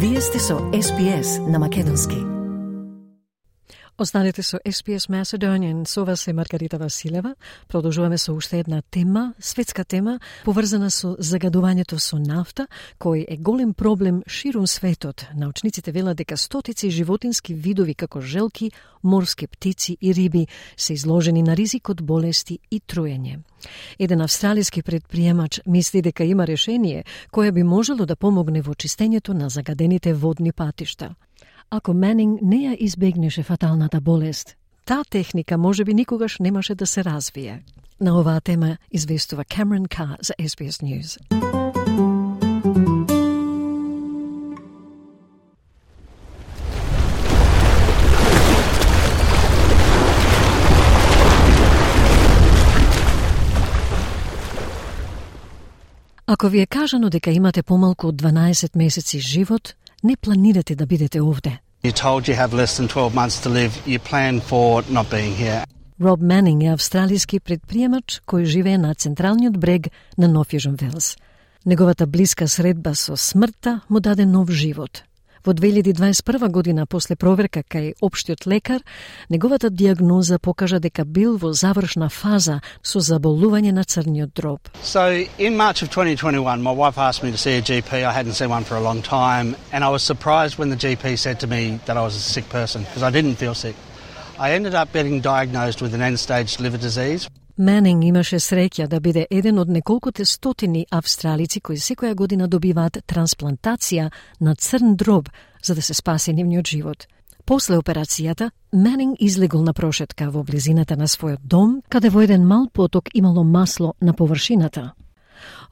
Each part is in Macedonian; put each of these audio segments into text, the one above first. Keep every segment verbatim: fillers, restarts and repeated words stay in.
Вие сте со Ес Би Ес на македонски. Останете со Ес Би Ес Macedonian, со вас е Маргарита Василева. Продолжуваме со уште една тема, светска тема, поврзана со загадувањето со нафта, кој е голем проблем ширум светот. Научниците велат дека стотици животински видови како желки, морски птици и риби се изложени на ризик од болести и труење. Еден австралиски предприемач мисли дека има решение кое би можело да помогне во чистењето на загадените водни патишта. Ако Манинг не ја избегнеше фаталната болест, таа техника можеби никогаш немаше да се развие. На оваа тема известува Камерон Кар за Ес Би Ес News. Ако ви е кажано дека имате помалку од дванаесет месеци живот, не планирате да бидете овде. You're told you have less than twelve months to live, you plan for not being here. Роб Манинг е австралиски предприемач кој живее на централниот брег на Нов Јужен Велс. Неговата блиска средба со смртта му даде нов живот. Во две илјади дваесет и прва година, после проверка кај општиот лекар, неговата диагноза покажа дека бил во завршна фаза со заболување на црниот дроб. So in March of twenty twenty-one, my wife asked me to see a G P. I hadn't seen one for a long time, and I was surprised when the G P said to me that I was a sick person, because I didn't feel sick. I ended up getting diagnosed with an end-stage liver disease. Манинг имаше среќа да биде еден од неколкуте стотини австралици кои секоја година добиваат трансплантација на црн дроб за да се спаси нивниот живот. После операцијата, Манинг излегол на прошетка во близината на својот дом, каде во еден мал поток имало масло на површината.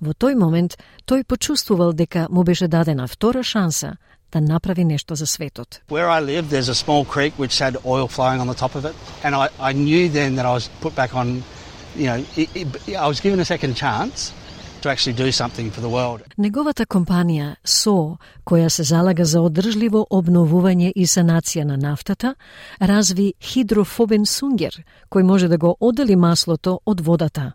Во тој момент, тој почувствувал дека му беше дадена втора шанса да направи нешто за светот. Where I live, there's a small creek which had oil flowing on the top of it, and I, I knew then that I was put back on. You know, it, it, I was given a second chance to actually do something for the world. Неговата компанија Со, која се залага за одржливо обновување и санација на нафтата, разви хидрофобен сунгер, кој може да го оддели маслото од водата.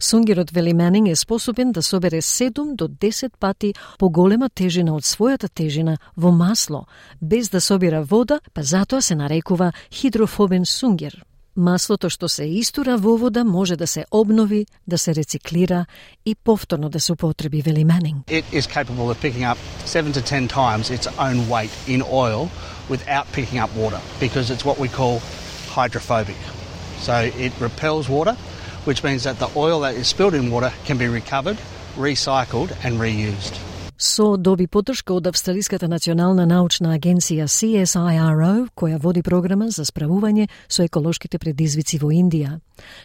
Сунгерот, вели Манинг, е способен да собере седум до десет пати поголема тежина од својата тежина во масло, без да собира вода, па затоа се нарекува хидрофобен сунгер. Маслото што се истура во вода може да се обнови, да се рециклира и повторно да се употреби, вели Манинг. It is capable of picking up seven to ten times its own weight in oil without picking up water, because it's what we call hydrophobic. So it repels water, which means that the oil that is spilled in water can be recovered, recycled and reused. Со доби поддршка од Австралиската национална научна агенција Си Ес Ай Ар О, која води програма за справување со еколошките предизвици во Индија.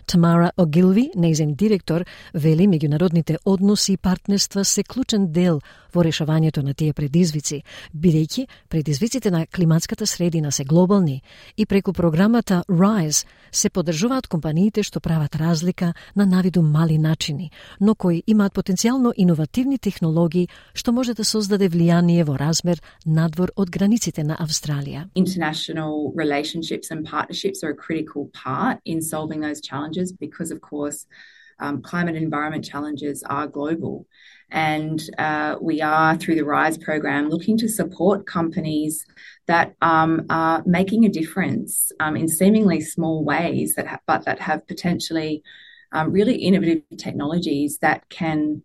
Тамара Огилви, нејзин директор, вели меѓународните односи и партнерства се клучен дел во решавањето на тие предизвици, бидејќи предизвиците на климатската средина се глобални и преку програмата Rise се поддржуваат компаниите што прават разлика на навиду мали начини, но кои имаат потенцијално иновативни технологии што може да создаде влијание во размер надвор од границите на Австралија. International relationships and partnerships are a critical part in solving those challenges because, of course, um, climate and environment challenges are global. And uh, we are, through the RISE program, looking to support companies that um, are making a difference um, in seemingly small ways, that ha- but that have potentially um, really innovative technologies that can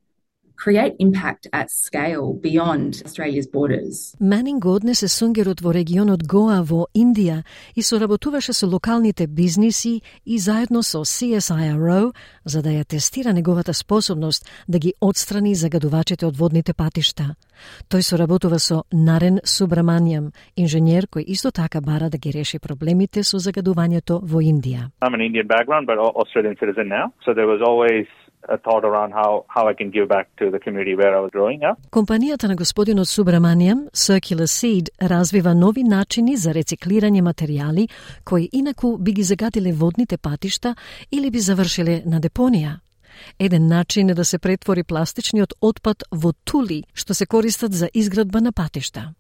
create impact at scale beyond Australia's borders. Манинг однесе сунгерот во регионот Гоа во Индија и соработуваше со локалните бизниси и заедно со Си Ес Ай Ар О за да ја тестира неговата способност да ги отстрани загадувачите од водните патишта. Тој соработува со Нарен Субраманијам, инженер кој исто така бара да ги реши проблемите со загадувањето во Индија. I'm an Indian background, but Australian citizen now. So there was always a thought around how, how I can give back to the community where I was growing up. Компанијата на господинот Субраманијам, Circular Seed, развива нови начини за рециклирање материјали кои инаку би ги загадиле водните патишта или би завршиле на депонија. Еден начин е да се претвори пластичниот отпад во тули, што се користат за изградба на патишта.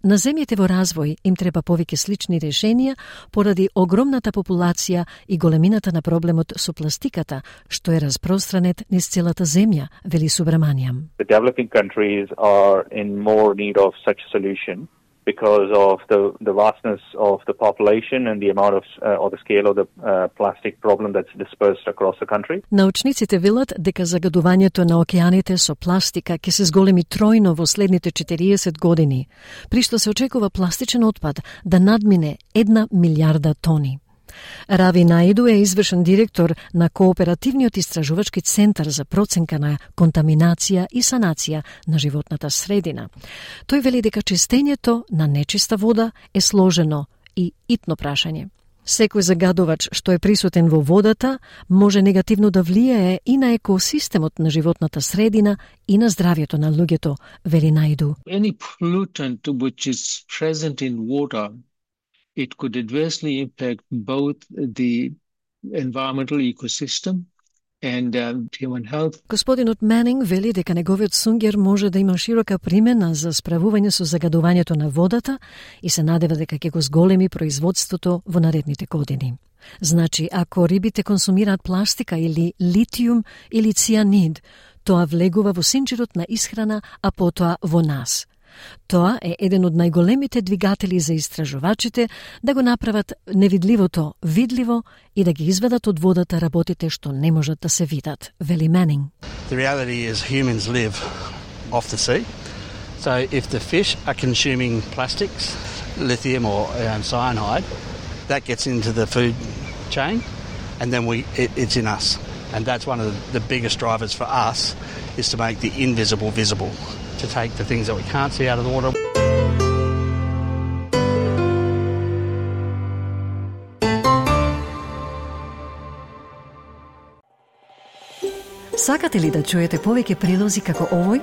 На земјите во развој им треба повеќе слични решенија поради огромната популација и големината на проблемот со пластиката, што е распространет низ целата земја, вели Субраманијам. The developing countries are in more need of such a solution because of the, the vastness of the population and the amount of, uh, or the scale of the uh, plastic problem that's dispersed across the country. Научниците велат дека загадувањето на океаните со пластика ќе се зголеми тројно во следните четириесет години, при што се очекува пластичен отпад да надмине една милиарда тони. Рави Наиду е извршен директор на Кооперативниот истражувачки центар за проценка на контаминација и санација на животната средина. Тој вели дека чистењето на нечиста вода е сложено и итно прашање. Секој загадувач што е присутен во водата може негативно да влијае и на екосистемот на животната средина и на здравјето на луѓето, вели Наиду. Any pollutant which is present in water, it could adversely impact both the environmental ecosystem and um, human health. Господинот Менинг вели дека неговиот сунгер може да има широка примена за справување со загадувањето на водата и се надева дека ќе го зголеми производството во наредните години. Значи, ако рибите консумираат пластика или литиум или цианид, тоа влегува во синџирот на исхрана, а потоа во нас. Тоа е еден од најголемите двигатели за истражувачите да го направат невидливото видливо и да ги изведат од водата работите што не можат да се видат, вели Менинг. The reality is humans live off the sea. So if the fish are consuming plastics, lithium or um, cyanide, that gets into the food chain and then we it, it's in us. And that's one of the, the biggest drivers for us is to make the invisible visible. To take the things that we can't see out of the water. Сакате ли да чуете повеќе прилози како овој?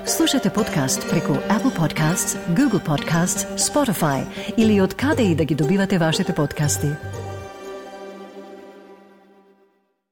Слушате подкаст преку Apple Podcasts, Google Podcasts, Spotify или од каде и да ги добивате вашите подкасти.